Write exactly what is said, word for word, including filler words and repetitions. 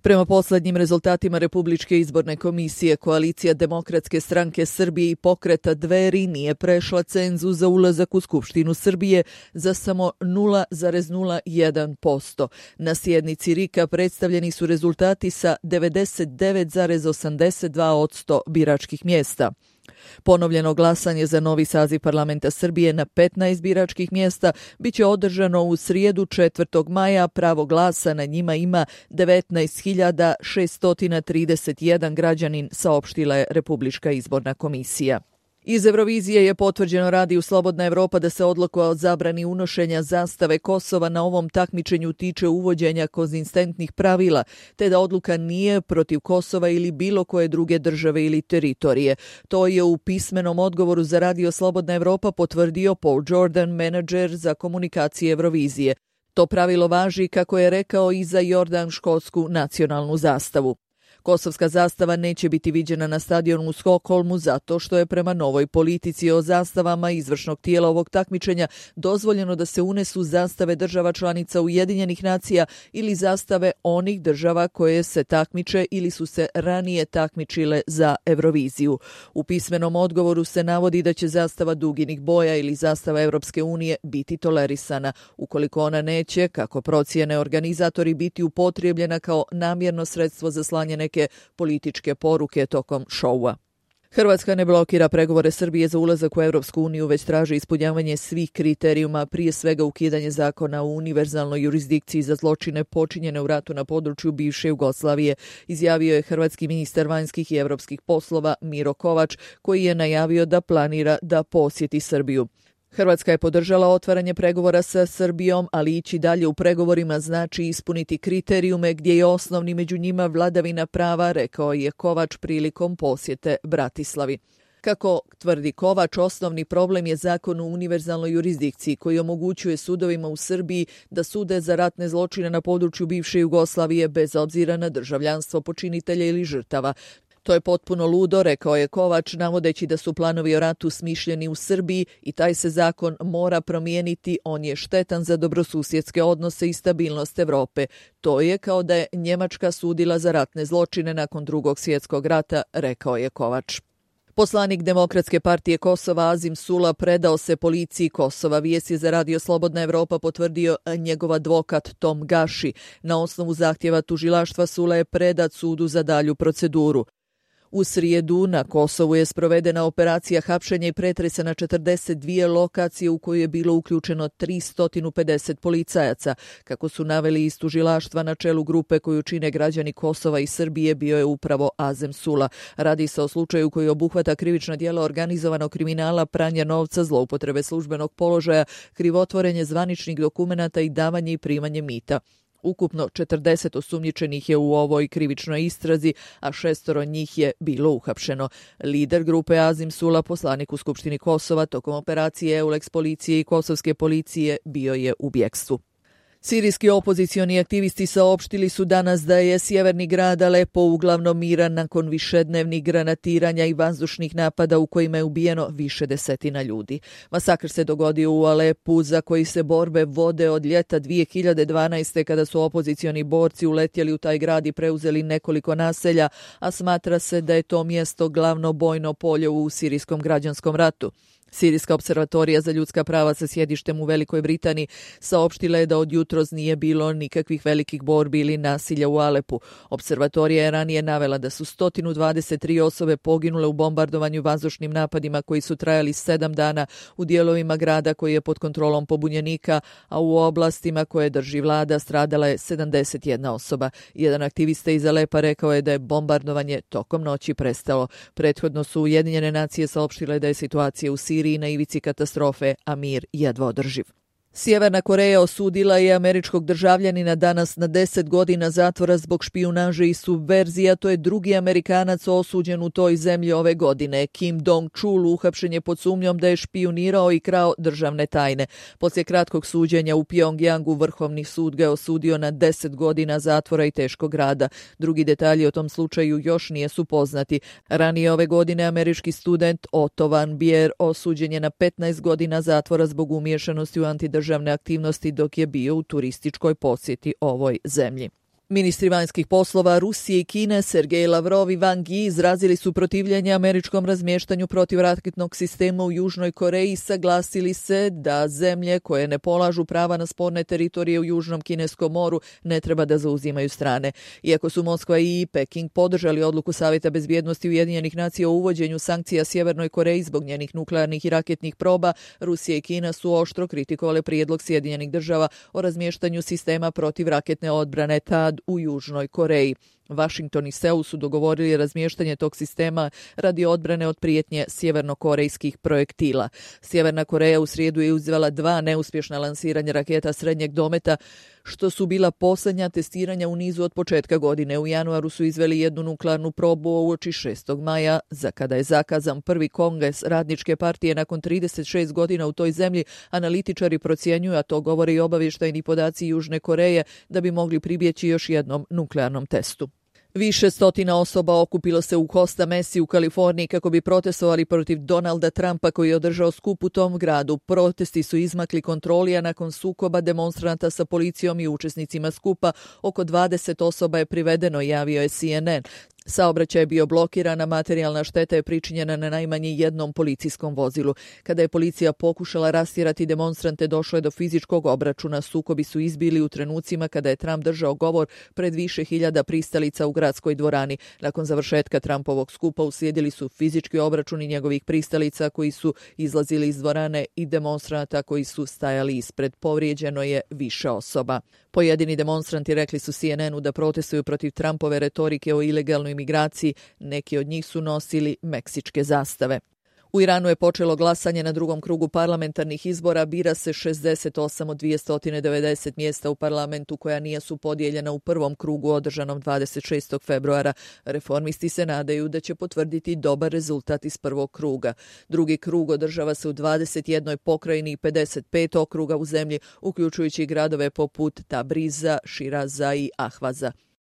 Prema poslednjim rezultatima Republičke izborne komisije, koalicija Demokratske stranke Srbije i pokreta Dveri nije prešla cenzus za ulazak u Skupštinu Srbije za samo nula zarez nula jedan posto. Na sjednici R I K-a predstavljeni su rezultati sa devedeset devet zarez osamdeset dva posto biračkih mjesta. Ponovljeno glasanje za novi saziv parlamenta Srbije na petnaest biračkih mjesta biće održano u srijedu četvrtog maja. Pravo glasa na njima ima devetnaest hiljada šesto trideset jedan građanin, saopštila je Republička izborna komisija. Iz Eurovizije je potvrđeno Radiju Slobodna Evropa da se odluka o zabrani unošenja zastave Kosova na ovom takmičenju tiče uvođenja konzistentnih pravila, te da odluka nije protiv Kosova ili bilo koje druge države ili teritorije. To je u pismenom odgovoru za Radio Slobodna Evropa potvrdio Paul Jordan, menadžer za komunikacije Eurovizije. To pravilo važi, kako je rekao, i za jordanškotsku nacionalnu zastavu. Kosovska zastava neće biti viđena na stadionu u Stokholmu zato što je prema novoj politici o zastavama izvršnog tijela ovog takmičenja dozvoljeno da se unesu zastave država članica Ujedinjenih nacija ili zastave onih država koje se takmiče ili su se ranije takmičile za Euroviziju. U pismenom odgovoru se navodi da će zastava duginih boja ili zastava Europske unije biti tolerisana, ukoliko ona neće, kako procijene organizatori, biti upotrijebljena kao namjerno sredstvo za slanje neke političke poruke tokom šoua. Hrvatska ne blokira pregovore Srbije za ulazak u Europsku uniju, već traži ispunjavanje svih kriterijuma, prije svega ukidanje zakona o univerzalnoj jurisdikciji za zločine počinjene u ratu na području bivše Jugoslavije, izjavio je hrvatski ministar vanjskih i europskih poslova Miro Kovač, koji je najavio da planira da posjeti Srbiju. Hrvatska je podržala otvaranje pregovora sa Srbijom, ali ići dalje u pregovorima znači ispuniti kriterijume gdje je osnovni među njima vladavina prava, rekao je Kovač prilikom posjete Bratislavi. Kako tvrdi Kovač, osnovni problem je zakon o univerzalnoj jurisdikciji koji omogućuje sudovima u Srbiji da sude za ratne zločine na području bivše Jugoslavije bez obzira na državljanstvo počinitelja ili žrtava. To je potpuno ludo, rekao je Kovač, navodeći da su planovi o ratu smišljeni u Srbiji i taj se zakon mora promijeniti, on je štetan za dobrosusjedske odnose i stabilnost Evrope. To je kao da je Njemačka sudila za ratne zločine nakon drugog svjetskog rata, rekao je Kovač. Poslanik Demokratske partije Kosova Azim Sula predao se policiji Kosova. Vijest je za Radio Slobodna Evropa potvrdio njegov advokat Tom Gaši. Na osnovu zahtjeva tužilaštva Sula je predat sudu za dalju proceduru. U srijedu na Kosovu je sprovedena operacija hapšenja i pretresa na četrdeset dvije lokacije u koju je bilo uključeno tristo pedeset policajaca. Kako su naveli iz tužilaštva, na čelu grupe koju čine građani Kosova i Srbije bio je upravo Azem Sula. Radi se o slučaju koji obuhvata krivična djela organizovanog kriminala, pranja novca, zloupotrebe službenog položaja, krivotvorenje zvaničnih dokumenata i davanje i primanje mita. Ukupno četrdeset osumnjičenih je u ovoj krivičnoj istrazi, a šestoro njih je bilo uhapšeno. Lider grupe Azim Sula, poslanik u Skupštini Kosova, tokom operacije Eulex policije i kosovske policije bio je u bjekstvu. Sirijski opozicioni aktivisti saopštili su danas da je sjeverni grad Alepo uglavnom miran nakon višednevnih granatiranja i vazdušnih napada u kojima je ubijeno više desetina ljudi. Masakr se dogodio u Alepu, za koji se borbe vode od ljeta dvije hiljade dvanaeste. kada su opozicioni borci uletjeli u taj grad i preuzeli nekoliko naselja, a smatra se da je to mjesto glavno bojno polje u sirijskom građanskom ratu. Sirijska observatorija za ljudska prava sa sjedištem u Velikoj Britaniji saopštila je da od jutros nije bilo nikakvih velikih borbi ili nasilja u Alepu. Observatorija je ranije navela da su sto dvadeset tri osobe poginule u bombardovanju vazdušnim napadima koji su trajali sedam dana u dijelovima grada koji je pod kontrolom pobunjenika, a u oblastima koje drži vlada stradala je sedamdeset jedna osoba. Jedan aktivista iz Alepa rekao je da je bombardovanje tokom noći prestalo. Prethodno su Ujedinjene nacije saopštile da je situacija u Siriji na ivici katastrofe, a mir jedva održiv. Sjeverna Koreja osudila je američkog državljanina danas na deset godina zatvora zbog špijunaže i subverzija. To je drugi Amerikanac osuđen u toj zemlji ove godine. Kim Dong-chul uhapšen je pod sumnjom da je špijunirao i krao državne tajne. Poslije kratkog suđenja u Pjongjangu Vrhovni sud ga je osudio na deset godina zatvora i teškog rada. Drugi detalji o tom slučaju još nisu poznati. Ranije ove godine američki student Otto Van Bier osuđen je na petnaest godina zatvora zbog umiješanosti u antidržavne aktivnosti dok je bio u turističkoj posjeti ovoj zemlji. Ministri vanjskih poslova Rusije i Kine Sergej Lavrov i Wang Yi izrazili su protivljenje američkom razmještanju protivraketnog sistema u Južnoj Koreji i saglasili se da zemlje koje ne polažu prava na sporne teritorije u Južnom Kineskom moru ne treba da zauzimaju strane. Iako su Moskva i Peking podržali odluku Savjeta bezbjednosti Ujedinjenih nacija o uvođenju sankcija Sjevernoj Koreji zbog njenih nuklearnih i raketnih proba, Rusija i Kina su oštro kritikovale prijedlog Sjedinjenih država o razmještanju sistema protivraketne odbrane T A D u Južnoj Koreji. Washington i Seul su dogovorili razmještanje tog sistema radi odbrane od prijetnje sjevernokorejskih projektila. Sjeverna Koreja u srijedu je izvela dva neuspješna lansiranja raketa srednjeg dometa, što su bila posljednja testiranja u nizu od početka godine. U januaru su izveli jednu nuklearnu probu uoči šestog maja, za kada je zakazan prvi kongres radničke partije nakon trideset šest godina u toj zemlji. Analitičari procjenjuju, a to govore i obavještajni podaci Južne Koreje, da bi mogli pribjeći još jednom nuklearnom testu. Više stotina osoba okupilo se u Costa Mesi u Kaliforniji kako bi protestovali protiv Donalda Trumpa koji je održao skup u tom gradu. Protesti su izmakli kontroli, a nakon sukoba demonstranata sa policijom i učesnicima skupa oko dvadeset osoba je privedeno, javio je C N N. Saobraćaj je bio blokiran, a materijalna šteta je pričinjena na najmanje jednom policijskom vozilu. Kada je policija pokušala rastjerati demonstrante, došlo je do fizičkog obračuna. Sukobi su izbili u trenucima kada je Trump držao govor pred više hiljada pristalica u gradskoj dvorani. Nakon završetka Trumpovog skupa uslijedili su fizički obračuni njegovih pristalica koji su izlazili iz dvorane i demonstranata koji su stajali ispred. Povrijeđeno je više osoba. Pojedini demonstranti rekli su C N N-u da protestuju protiv Trumpove retorike o ilegalnoj imigraciji. Neki od njih su nosili meksičke zastave. U Iranu je počelo glasanje na drugom krugu parlamentarnih izbora. Bira se šezdeset osam od dvjesto devedeset mjesta u parlamentu koja nisu podijeljena u prvom krugu održanom dvadeset šestog februara. Reformisti se nadaju da će potvrditi dobar rezultat iz prvog kruga. Drugi krug održava se u dvadeset jednoj pokrajini i pedeset pet okruga u zemlji, uključujući gradove poput Tabriza, Širaza i Ahvaza.